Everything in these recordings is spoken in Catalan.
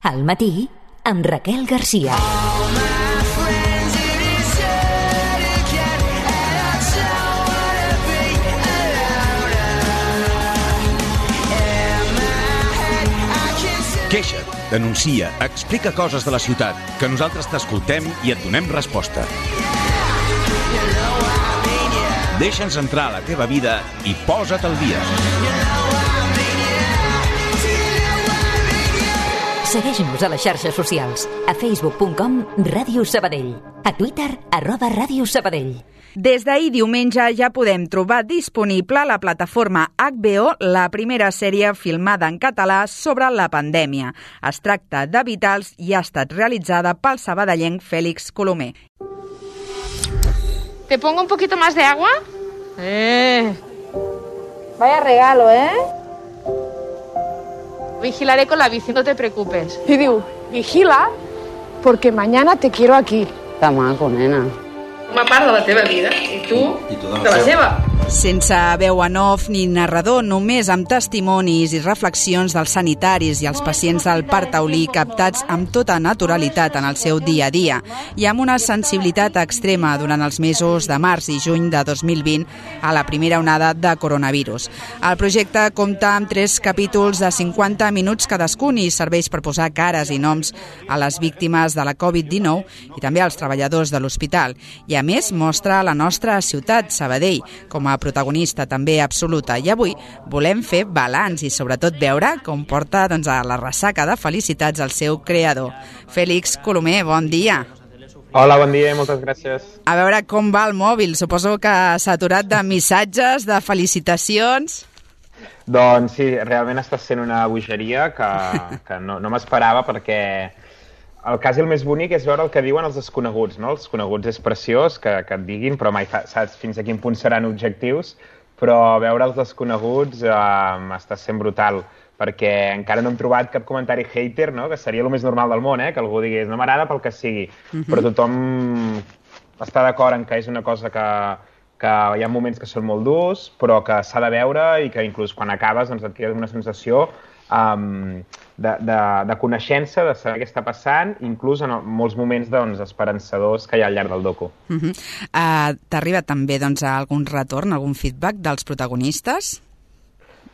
Al matí, amb Raquel Garcia. Queixa't, denuncia, explica coses de la ciutat, que nosaltres t'escoltem i et donem resposta. Deixa'ns entrar a la teva vida i posa't al dia. Segueix-nos a les xarxes socials, a facebook.com/Ràdio Sabadell, a Twitter @Ràdio Sabadell. Des d'ahir diumenge ja podem trobar disponible a la plataforma HBO la primera sèrie filmada en català sobre la pandèmia. Es tracta de Vitals i ha estat realitzada pel sabadellenc Fèlix Colomer. ¿Te pongo un poquito más de agua? Vaya regalo, Vigilaré con la bici, no te preocupes. Y digo, vigila, porque mañana te quiero aquí. Està maco, nena. Una part de la teva vida, i tu de la seva. Sense veu en off ni narrador, només amb testimonis i reflexions dels sanitaris i els pacients del Parc Taulí captats amb tota naturalitat en el seu dia a dia i amb una sensibilitat extrema durant els mesos de març i juny de 2020 a la primera onada de coronavirus. El projecte compta amb 3 capítols de 50 minuts cadascun i serveix per posar cares i noms a les víctimes de la Covid-19 i també als treballadors de l'hospital. I a més mostra la nostra ciutat, Sabadell, com a protagonista també absoluta. I avui volem fer balanç i sobretot veure com porta a la ressaca de felicitats al seu creador. Fèlix Colomer, bon dia. Hola, bon dia i moltes gràcies. A veure com va el mòbil. Suposo que s'ha aturat de missatges, de felicitacions. Doncs sí, realment està sent una bogeria que no m'esperava perquè el cas i el més bonic és veure el que diuen els desconeguts, no? Els coneguts és preciós que et diguin, però mai saps fins a quin punt seran objectius, però veure els desconeguts està sent brutal, perquè encara no hem trobat cap comentari hater, no? Que seria el més normal del món, que algú digués no m'agrada pel que sigui, però tothom està d'acord en que és una cosa que hi ha moments que són molt durs, però que s'ha de veure i que inclús quan acabes doncs, et queda una sensació de coneixença, de saber què està passant, inclús en molts moments esperançadors que hi ha al llarg del docu. T'arriba també algun retorn, algun feedback dels protagonistes?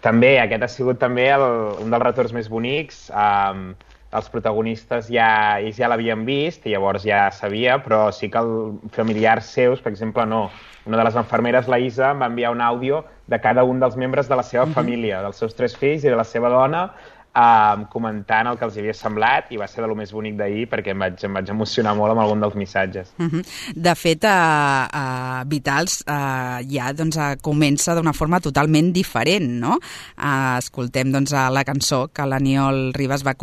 També, aquest ha sigut també un dels retorns més bonics. Els protagonistes ells ja l'havien vist i llavors ja sabia, però sí que familiars seus, per exemple, no. Una de les infermeres, la Isa, em va enviar un àudio de cada un dels membres de la seva família, dels seus 3 fills i de la seva dona, comentant el que els havia semblat, i va ser de lo més bonic d'ahir perquè em vaig emocionar molt amb algun dels missatges. De fet, Vitals ja comença d'una forma totalment diferent, no? Escoltem la cançó que l'Aniol Ribas va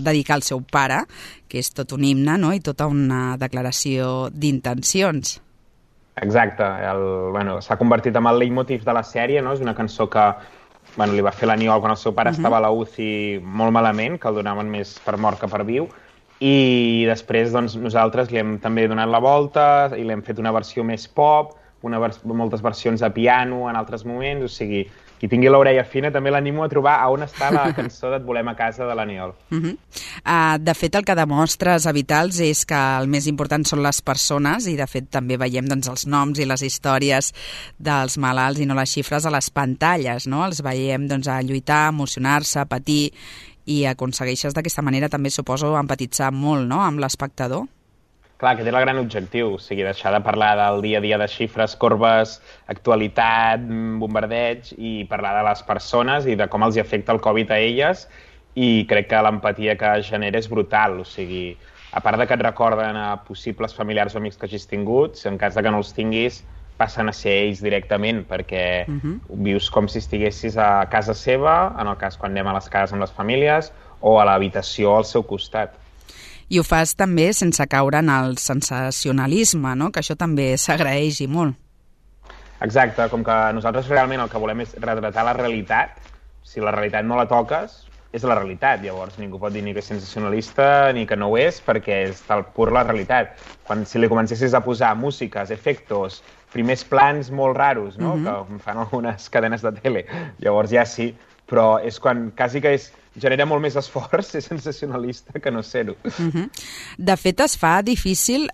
dedicar al seu pare, que és tot un himne, no? I tota una declaració d'intencions. Exacte, s'ha convertit en el leitmotiv de la sèrie, no? És una cançó que li va fer l'Aniol quan el seu pare estava a la UCI molt malament, que el donaven més per mort que per viu, i després nosaltres li hem també donat la volta i l'hem fet una versió més pop, moltes versions a piano en altres moments, o sigui, qui tingui l'orella fina també l'animo a trobar on està la cançó d'Et volem a casa de l'Aniol. De fet, el que demostres a Vitals és que el més important són les persones i de fet també veiem els noms i les històries dels malalts i no les xifres a les pantalles, no? Els veiem a lluitar, emocionar-se, patir i aconsegueixes d'aquesta manera també suposo empatitzar molt, no?, amb l'espectador. Clar, aquest era el gran objectiu, o sigui, deixar de parlar del dia a dia de xifres, corbes, actualitat, bombardeig, i parlar de les persones i de com els afecta el Covid a elles, i crec que l'empatia que genera és brutal, o sigui, a part de que et recorden a possibles familiars o amics que hagis tingut, en cas de que no els tinguis, passen a ser ells directament, perquè vius com si estiguessis a casa seva, en el cas quan anem a les cases amb les famílies, o a l'habitació al seu costat. I ho fas també sense caure en el sensacionalisme, no? Que això també s'agraeix i molt. Exacte, com que nosaltres realment el que volem és retratar la realitat. Si la realitat no la toques, és la realitat. Llavors ningú pot dir ni que és sensacionalista ni que no ho és, perquè és tal pur la realitat. Si li comencessis a posar músiques, efectos, primers plans molt raros, no? Que fan algunes cadenes de tele, llavors ja sí, però és quan quasi que genera molt més esforç ser sensacionalista que no ser-ho. De fet, es fa difícil,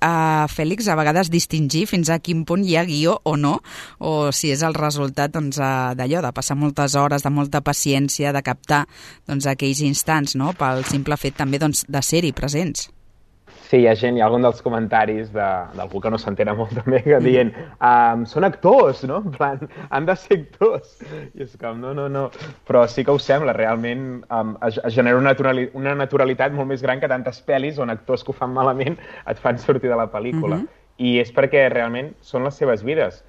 Fèlix, a vegades distingir fins a quin punt hi ha guió o no, o si és el resultat d'allò, de passar moltes hores, de molta paciència, de captar aquells instants, no?, pel simple fet també de ser-hi presents. Sí, hi ha algun dels comentaris d'algú que no s'entén molt també, que dient són actors, no? En plan, han de ser actors. I és com, no. Però sí que ho sembla, realment es genera una naturalitat molt més gran que tantes pel·lis on actors que ho fan malament et fan sortir de la pel·lícula. I és perquè realment són les seves vides.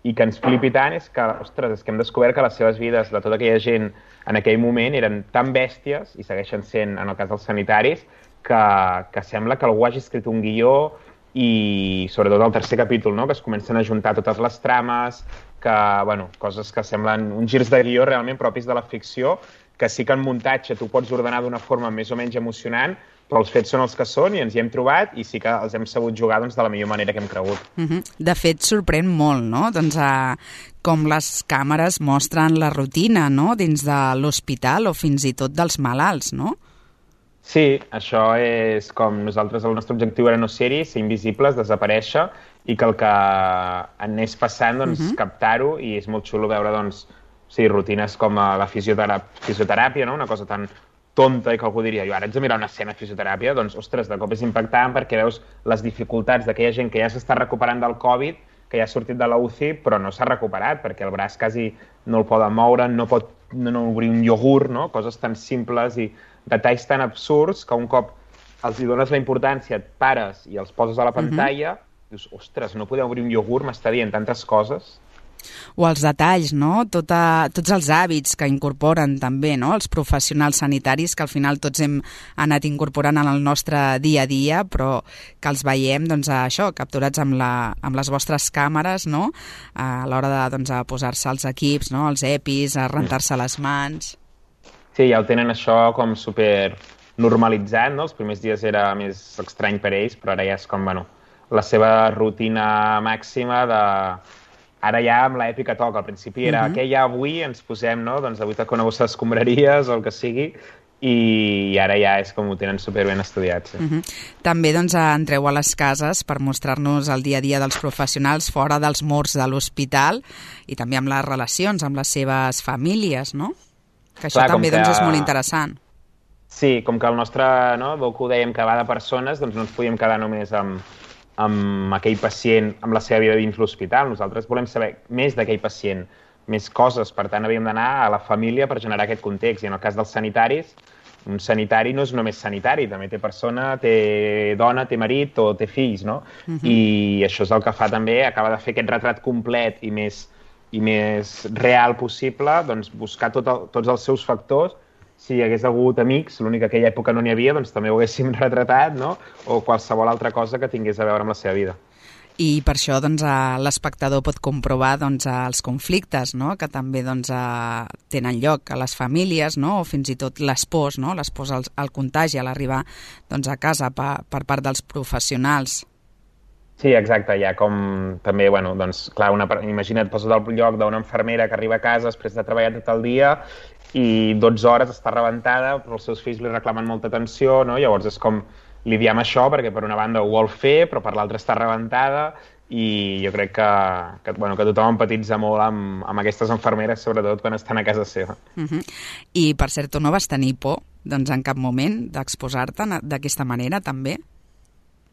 I que ens flipi tant és que, ostres, és que hem descobert que les seves vides de tota aquella gent en aquell moment eren tan bèsties, i segueixen sent, en el cas dels sanitaris, que sembla que algú hagi escrit un guió i sobretot el tercer capítol, no?, que es comencen a juntar totes les trames, que, bueno, coses que semblen uns girs de guió realment propis de la ficció, que sí que en muntatge tu pots ordenar d'una forma més o menys emocionant, però els fets són els que són i ens hi hem trobat i sí que els hem sabut jugar de la millor manera que hem cregut. De fet, sorprèn molt, no?, com les càmeres mostren la rutina, no?, dins de l'hospital o fins i tot dels malalts, no? Sí, això és com nosaltres, el nostre objectiu era no ser-hi, ser invisibles, desaparèixer, i que el que anés passant, captar-ho, i és molt xulo veure, rutines com la fisioteràpia, no?, una cosa tan tonta i que algú diria, jo ara haig de mirar una escena de fisioteràpia, ostres, de cop és impactant perquè veus les dificultats d'aquella gent que ja s'està recuperant del Covid, que ja ha sortit de la UCI, però no s'ha recuperat, perquè el braç quasi no el poden moure, no pot obrir un iogurt, no?, coses tan simples i detalls tan absurds que un cop els hi dones la importància, et pares i els poses a la pantalla, dius, ostres, no podeu obrir un iogurt, m'està dient tantes coses. O els detalls, no?, tots els hàbits que incorporen també, no?, els professionals sanitaris que al final tots hem anat incorporant en el nostre dia a dia, però que els veiem, això, capturats amb les vostres càmeres, no?, a l'hora de posar-se els equips, no?, els EPIs, a rentar-se les mans. Sí, ja ho tenen això com super normalitzat, no? Els primers dies era més estrany per ells, però ara ja és com, la seva rutina màxima de... Ara ja amb l'èpica toca. Al principi era què hi ha avui, ens posem, no? Avui toca una bossa d'escombraries o el que sigui, i ara ja és com ho tenen superben estudiat. Sí. També entreu a les cases per mostrar-nos el dia a dia dels professionals fora dels murs de l'hospital i també amb les relacions amb les seves famílies, no? Que això també és molt interessant. Sí, com que el nostre docu dèiem que va de persones, no ens podíem quedar només amb aquell pacient, amb la seva vida dins l'hospital. Nosaltres volem saber més d'aquell pacient, més coses, per tant havíem d'anar a la família per generar aquest context. I en el cas dels sanitaris, un sanitari no és només sanitari, també té persona, té dona, té marit o té fills, no? I això és el que fa també, acaba de fer aquest retrat complet i més real possible, buscar tots els seus factors. Si hi hagués hagut amics, l'únic que aquella època no n'hi havia, també ho haguéssim retratat, no? O qualsevol altra cosa que tingués a veure amb la seva vida. I per això l'espectador pot comprovar els conflictes, no?, que també tenen lloc a les famílies, no?, o fins i tot les pors, no?, les pors al contagi, a l'arribar a casa per part dels professionals. Sí, exacte, hi ha com també, clar, imagina't, posa't al lloc d'una infermera que arriba a casa després de treballar tot el dia i 12 hores està rebentada, però els seus fills li reclamen molta atenció, no? Llavors és com lidiar amb això, perquè per una banda ho vol fer, però per l'altra està rebentada, i jo crec que tothom empatitza molt amb aquestes infermeres, sobretot quan estan a casa seva. I, per cert, tu no vas tenir por, en cap moment, d'exposar-te d'aquesta manera, també?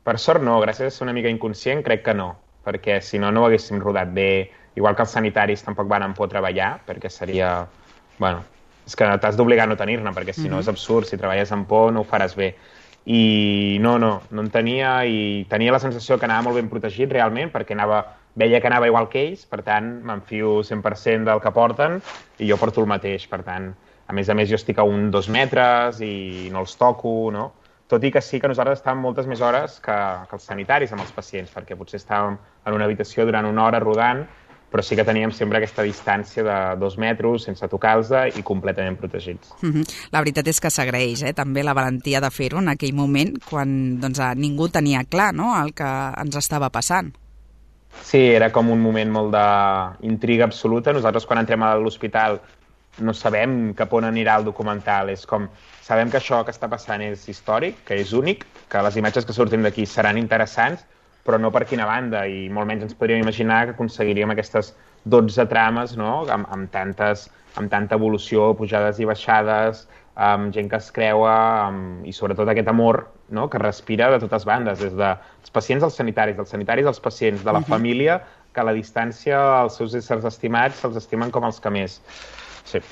Per sort no, gràcies a ser una mica inconscient crec que no, perquè si no, no ho haguéssim rodat bé, igual que els sanitaris tampoc van por treballar, perquè seria, és que t'has d'obligar a no tenir-ne, perquè si no és absurd, si treballes amb por no ho faràs bé. I no en tenia, i tenia la sensació que anava molt ben protegit realment, perquè veia que anava igual que ells, per tant m'enfio 100% del que porten i jo porto el mateix, per tant, a més jo estic a 2 metres i no els toco, no? Tot i que sí que nosaltres estàvem moltes més hores que els sanitaris amb els pacients, perquè potser estàvem en una habitació durant 1 hora rodant, però sí que teníem sempre aquesta distància de 2 metres sense tocar-los i completament protegits. La veritat és que s'agraeix, també la valentia de fer-ho en aquell moment quan ningú tenia clar, no?, el que ens estava passant. Sí, era com un moment molt d'intriga absoluta. Nosaltres quan entrem a l'hospital no sabem cap on anirà el documental. És com, sabem que això que està passant és històric, que és únic, que les imatges que surtin d'aquí seran interessants, però no per quina banda, i molt menys ens podríem imaginar que aconseguiríem aquestes 12 trames, no?, amb tanta evolució, pujades i baixades, amb gent que es creua, i sobretot aquest amor, no?, que respira de totes bandes, des dels pacients als sanitaris, dels sanitaris als pacients, de la família, que a la distància els seus éssers estimats se'ls estimen com els que més. Sí.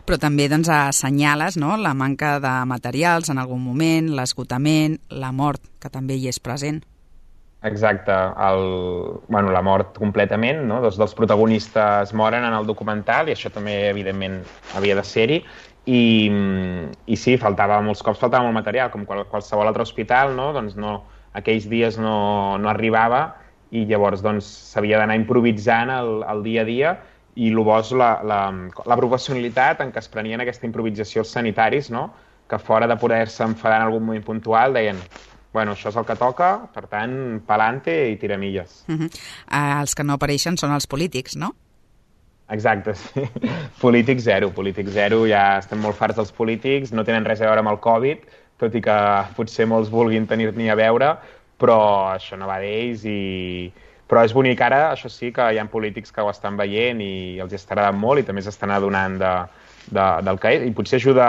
Però també doncs, assenyales, no?, la manca de materials en algun moment, l'esgotament, la mort, que també hi és present. Exacte, la mort completament, no? Dos dels protagonistes moren en el documental i això també, evidentment, havia de ser-hi. I sí, molts cops faltava molt material, com qualsevol altre hospital, no? Doncs aquells dies no arribava i llavors s'havia d'anar improvisant el dia a dia, i el bo és la professionalitat en què es prenien aquesta improvisació els sanitaris, no? Que fora de poder-se enfadar en algun moment puntual deien: bueno, això és el que toca, per tant, pa'lante i tiramilles. Els que no apareixen són els polítics, no? Exacte, sí. Polític zero, ja estem molt farts dels polítics, no tenen res a veure amb el Covid, tot i que potser molts vulguin tenir-n'hi a veure, però això no va d'ells. Però és bonic ara, això sí, que hi ha polítics que ho estan veient i els està agradant molt i també s'estan adonant del que és, i potser ajuda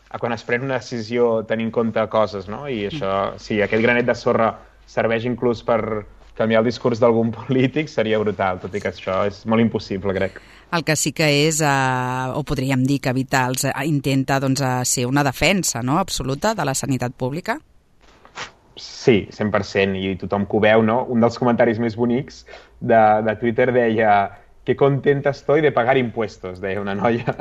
a quan es pren una decisió tenir en compte coses, no? I això, si aquest granet de sorra serveix inclús per canviar el discurs d'algun polític, seria brutal, tot i que això és molt impossible, crec. El que sí que és, o podríem dir que Vitals intenta ser una defensa, no?, absoluta de la sanitat pública? Sí, 100%, i tothom que ho veu, no? Un dels comentaris més bonics de Twitter deia: «Qué contenta estoy de pagar impuestos», deia una noia.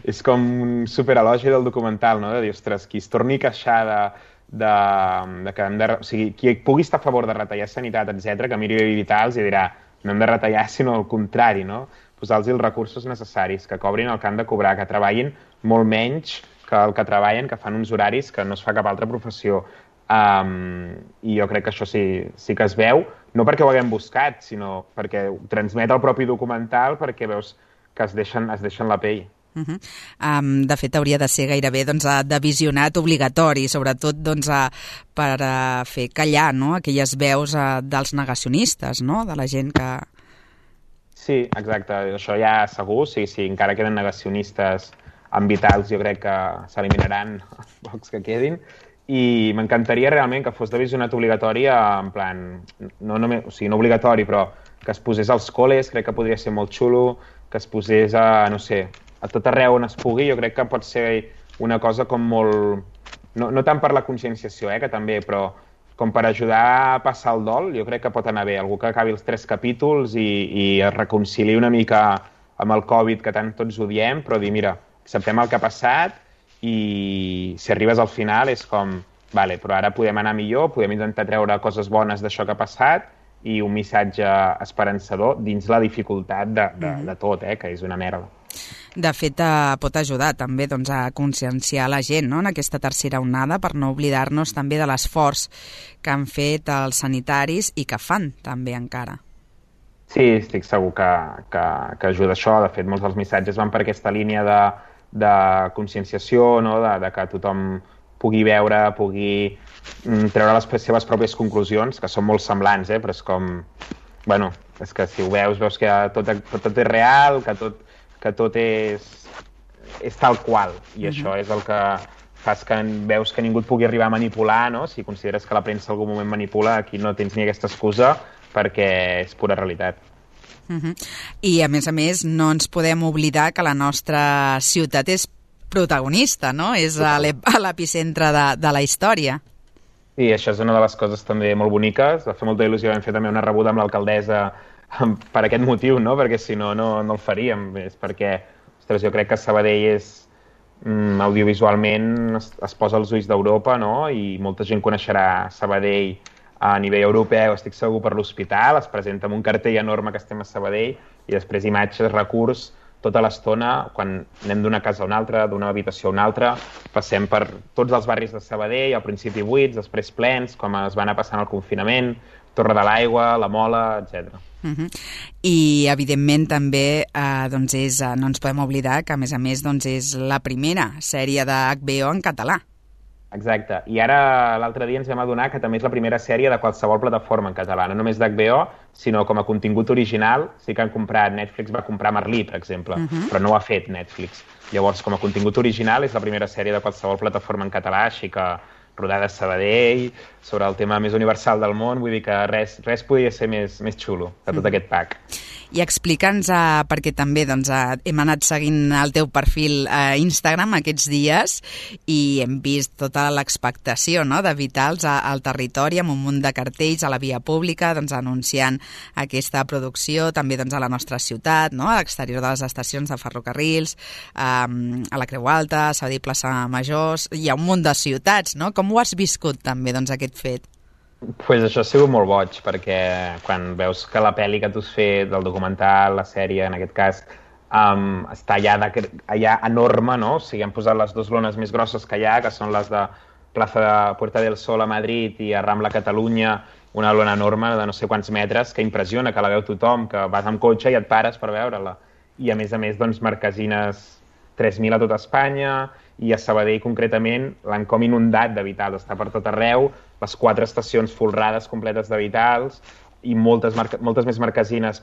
És com un superelogi del documental, no?, de dir, ostres, qui es torni a queixar o sigui, qui pugui estar a favor de retallar sanitat, etc., que miri Vitals i dirà: no hem de retallar, sinó el contrari, no? Posar-los els recursos necessaris, que cobrin el que han de cobrar, que treballin molt menys que el que treballen, que fan uns horaris que no es fa cap altra professió. I jo crec que això sí que es veu, no perquè ho haguem buscat, sinó perquè ho transmet el propi documental, perquè veus que es deixen la pell. De fet, hauria de ser gairebé de visionat obligatori, sobretot per fer callar, no?, aquelles veus dels negacionistes, no?, de la gent que... Sí, exacte, això ja segur, sí, encara queden negacionistes amb Vitals, jo crec que s'eliminaran els pocs que quedin, i m'encantaria realment que fos de visionat obligatori, en plan, no obligatori, però que es posés als col·les, crec que podria ser molt xulo, que es posés a tot arreu on es pugui. Jo crec que pot ser una cosa com molt... No tant per la conscienciació, que també, però com per ajudar a passar el dol, jo crec que pot anar bé. Algú que acabi els 3 capítols i es reconcili una mica amb el Covid, que tant tots odiem, però dir, mira, acceptem el que ha passat, i si arribes al final és com, vale, però ara podem anar millor, podem intentar treure coses bones d'això que ha passat, i un missatge esperançador dins la dificultat de tot, que és una merda. De fet, pot ajudar també a conscienciar la gent, no?, en aquesta tercera onada, per no oblidar-nos també de l'esforç que han fet els sanitaris i que fan també encara. Sí, estic segur que ajuda això. De fet, molts dels missatges van per aquesta línia de conscienciació, no?, de que tothom pugui veure, pugui treure les seves pròpies conclusions, que són molt semblants, però és com... Bueno, és que si ho veus que tot és real, que tot és tal qual, i això és el que fas que veus que ningú et pugui arribar a manipular, no? Si consideres que la premsa en algun moment manipula, aquí no tens ni aquesta excusa, perquè és pura realitat. I, a més, no ens podem oblidar que la nostra ciutat és protagonista, no? És a l'epicentre de la història. Sí, això és una de les coses també molt boniques. Va fer molta il·lusió, vam fer també una rebuda amb l'alcaldessa per aquest motiu, no? Perquè si no el faríem. És perquè, ostres, jo crec que Sabadell és audiovisualment es posa als ulls d'Europa, no? I molta gent coneixerà Sabadell a nivell europeu, estic segur, per l'hospital, es presenta amb un cartell enorme que estem a Sabadell, i després imatges, recurs tota l'estona, quan anem d'una casa a una altra, d'una habitació a una altra, passem per tots els barris de Sabadell, al principi buits, després plens, com es va anar passant el confinament, Torre de l'Aigua, La Mola, etc. I, evidentment, també no ens podem oblidar que, a més, és la primera sèrie de HBO en català. Exacte. I ara, l'altre dia, ens vam adonar que també és la primera sèrie de qualsevol plataforma en català, no només d'HBO, sinó com a contingut original. Sí que han comprat, Netflix va comprar Merlí, per exemple, però no ho ha fet Netflix. Llavors, com a contingut original, és la primera sèrie de qualsevol plataforma en català, així que rodada a Sabadell, sobre el tema més universal del món, vull dir que res podia ser més xulo de tot aquest pack. I explica'ns, perquè també hem anat seguint el teu perfil a Instagram aquests dies i hem vist tota l'expectació de Vitals al territori, amb un munt de cartells a la via pública, anunciant aquesta producció, també a la nostra ciutat, a l'exterior de les estacions de ferrocarrils, a la Creu Alta, a Sabadell, Plaça Major, hi ha un munt de ciutats, no? Com ho has viscut també, aquest fet? Pues això ha sigut molt boig, perquè quan veus que la pel·li que tu has fet, del documental, la sèrie, en aquest cas, està allà enorme, no? O sigui, han posat les dues lones més grosses que hi ha, que són les de Plaza de Puerta del Sol a Madrid i a Rambla Catalunya, una lona enorme de no sé quants metres, que impressiona, que la veu tothom, que vas amb cotxe i et pares per veure-la. I a més, marquesines 3.000 a tot Espanya, i a Sabadell, concretament, l'han com inundat de Vitals, està per tot arreu, les 4 estacions folrades completes de Vitals i moltes més marquesines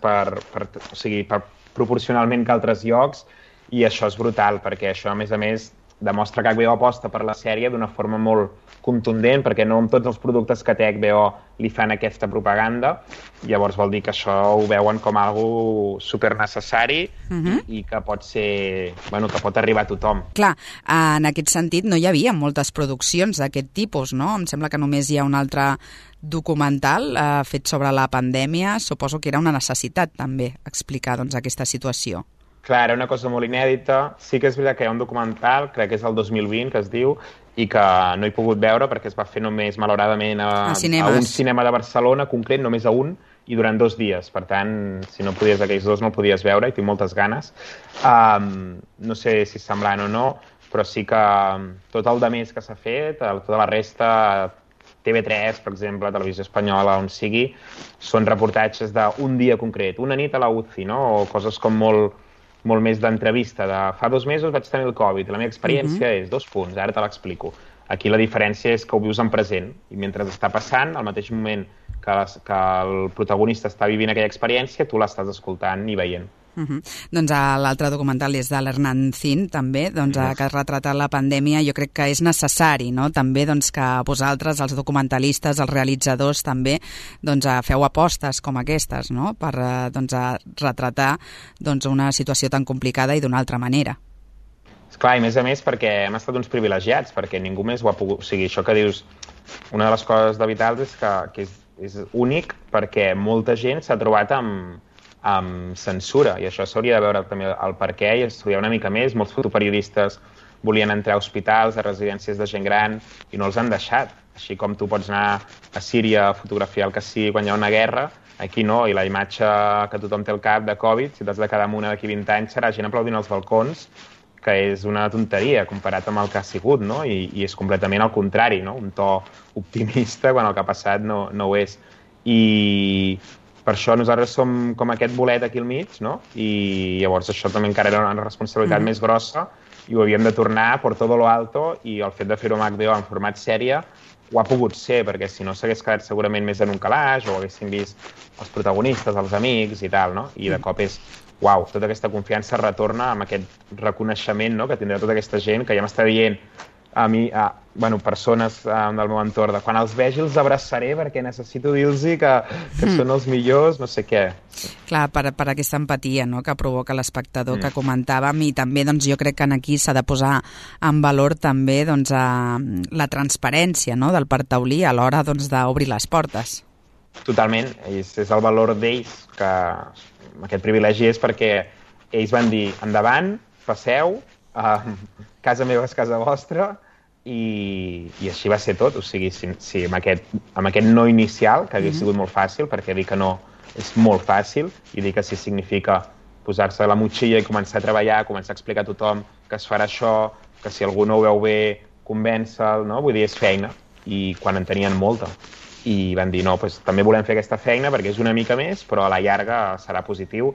proporcionalment que altres llocs, i això és brutal, perquè això, a més, demostra que HBO aposta per la sèrie d'una forma molt contundent, perquè no amb tots els productes que té HBO li fan aquesta propaganda. Llavors vol dir que això ho veuen com algo supernecessari i que pot ser, que pot arribar a tothom. Clar, en aquest sentit no hi havia moltes produccions d'aquest tipus, no? Em sembla que només hi ha un altre documental fet sobre la pandèmia. Suposo que era una necessitat també explicar aquesta situació. Clar, era una cosa molt inèdita. Sí que és veritat que hi ha un documental, crec que és el 2020, que es diu, i que no he pogut veure perquè es va fer només, malauradament, a un cinema de Barcelona, concret, només a un, i durant 2 dies. Per tant, si no podies aquells 2, no el podies veure, i tinc moltes ganes. No sé si és semblant o no, però sí que tot el de més que s'ha fet, tota la resta, TV3, per exemple, Televisió Espanyola, on sigui, són reportatges d'un dia concret, una nit a la UCI, no? O coses com molt més d'entrevista, de fa 2 mesos vaig tenir el Covid, la meva experiència és 2 punts, ara te l'explico. Aquí la diferència és que ho vius en present, i mentre està passant, al mateix moment que el protagonista està vivint aquella experiència, tu l'estàs escoltant i veient. Doncs l'altre documental és de l'Hernán Zin, també, que ha retratat la pandèmia. Jo crec que és necessari, no? També que vosaltres, els documentalistes, els realitzadors, també feu apostes com aquestes, no? Per retratar una situació tan complicada i d'una altra manera. Esclar, i a més perquè hem estat uns privilegiats, perquè ningú més ho ha pogut... O sigui, això que dius, una de les coses de Vitals és que és únic perquè molta gent s'ha trobat amb censura, i això s'hauria de veure també el perquè i estudiar una mica més. Molts fotoperiodistes volien entrar a hospitals, a residències de gent gran, i no els han deixat. Així com tu pots anar a Síria a fotografiar el que sigui quan hi ha una guerra, aquí no, i la imatge que tothom té al cap de Covid, si t'has de quedar amb una d'aquí 20 anys, serà gent aplaudint als balcons, que és una tonteria comparat amb el que ha sigut, no? I és completament al contrari, no? Un to optimista quan el que ha passat no ho és. I per això nosaltres som com aquest bolet aquí al mig, no? I llavors això també encara era una responsabilitat més grossa i ho havíem de tornar per tot lo alto, i el fet de fer-ho amb HBO en format sèrie ho ha pogut ser, perquè si no s'hagués quedat segurament més en un calaix o haguéssim vist els protagonistes, els amics i tal, no? I de cop és, uau, tota aquesta confiança retorna amb aquest reconeixement, no?, que tindrà tota aquesta gent que ja m'està dient a mi, persones del meu entorn, de quan els vegi els abraçaré perquè necessito dir-los que són els millors, no sé què. Clar, per aquesta empatia, no?, que provoca l'espectador que comentàvem, i també jo crec que aquí s'ha de posar en valor també la transparència, no?, del parc taulí a l'hora d'obrir les portes. Totalment, és el valor d'ells, que aquest privilegi és perquè ells van dir endavant, passeu, casa meva és casa vostra, i així va ser tot. O sigui, si amb aquest no inicial, que hauria sigut molt fàcil, perquè dir que no és molt fàcil, i dir que sí significa posar-se la motxilla i començar a treballar, començar a explicar a tothom que es farà això, que si algú no ho veu bé, convèncer-lo, no? Vull dir, és feina, i quan en tenien molta. I van dir, no, doncs, també volem fer aquesta feina perquè és una mica més, però a la llarga serà positiu,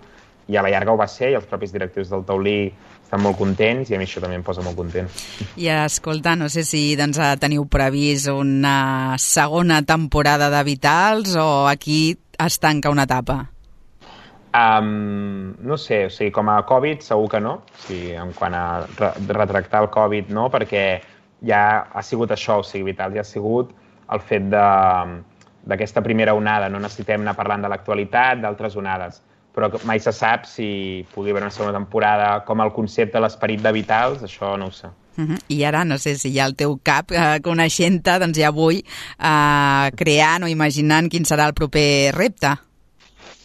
i a la llarga ho va ser, i els propis directius del Taulí estan molt contents, i a mi això també em posa molt content. I escolta, no sé si doncs, teniu previst una segona temporada de Vitals o aquí es tanca una etapa? No sé, o sigui, com a Covid segur que no, o sigui, en quant a retractar el Covid no, perquè ja ha sigut això, o sigui, Vitals ja ha sigut el fet d'aquesta primera onada, no necessitem anar parlant de l'actualitat, d'altres onades, però mai se sap si pugui haver una segona temporada, com el concepte, l'esperit de Vitals, això no ho sé. I ara, no sé si hi ha el teu cap, coneixent-te, doncs ja vull creant o imaginant quin serà el proper repte.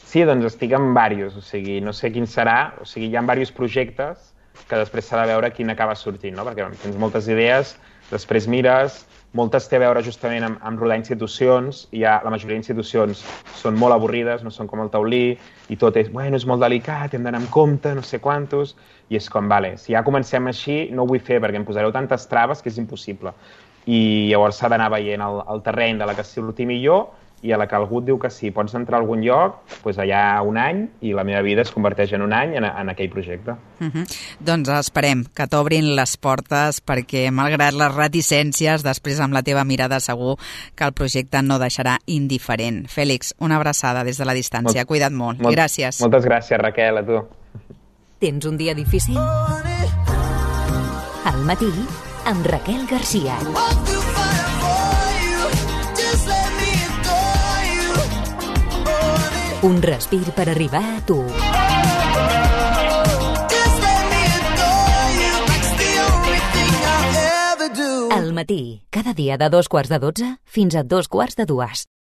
Sí, doncs estic en diversos, o sigui, no sé quin serà, o sigui, hi ha diversos projectes que després s'ha de veure quin acaba sortint, no? Perquè tens moltes idees, després mires, moltes té a veure justament amb rodar institucions, i la majoria d'institucions són molt avorrides, no són com el Taulí, i tot és, bueno, és molt delicat, hem d'anar amb compte, no sé quantos, i és com, vale, si ja comencem així, no ho vull fer perquè em posareu tantes traves que és impossible. I llavors s'ha d'anar veient el terreny de la que surti millor, i a la que algú et diu que sí, pots entrar a algun lloc, doncs allà un any, i la meva vida es converteix en un any en aquell projecte. Doncs esperem que t'obrin les portes, perquè malgrat les reticències, després amb la teva mirada segur que el projecte no deixarà indiferent. Fèlix, una abraçada des de la distància. Cuida't molt. Gràcies. Moltes gràcies, Raquel, a tu. Tens un dia difícil? Al matí, amb Raquel Garcia. Un respir per arribar a tu. Al matí, cada dia de 2:15 fins a 2:45.